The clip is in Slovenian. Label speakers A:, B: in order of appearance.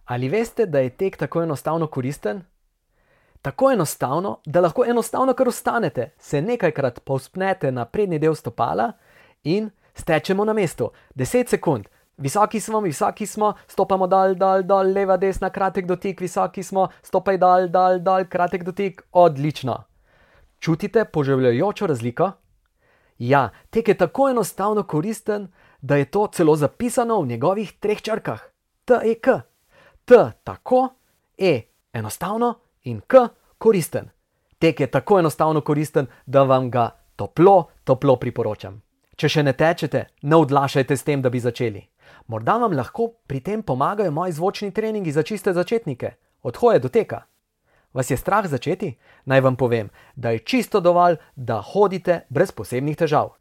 A: Ali veste, da je tek tako enostavno koristen? Tako enostavno, da lahko enostavno kar ostanete, se nekajkrat povzpnete na prednji del stopala in stečemo na mestu. 10 sekund. Visoki smo, stopamo dol, leva, desna, kratek dotik, visoki smo, stopaj dol, kratek dotik, odlično. Čutite poživljajočo razliko? Ja, tek je tako enostavno koristen, da je to celo zapisano v njegovih 3 črkah. TEK. T tako, E enostavno in K koristen. Tek je tako enostavno koristen, da vam ga toplo priporočam. Če še ne tečete, ne odlašajte s tem, da bi začeli. Morda vam lahko pri tem pomagajo moji zvočni treningi za čiste začetnike, od hoje do teka. Vas je strah začeti? Naj vam povem, da je čisto dovolj, da hodite brez posebnih težav.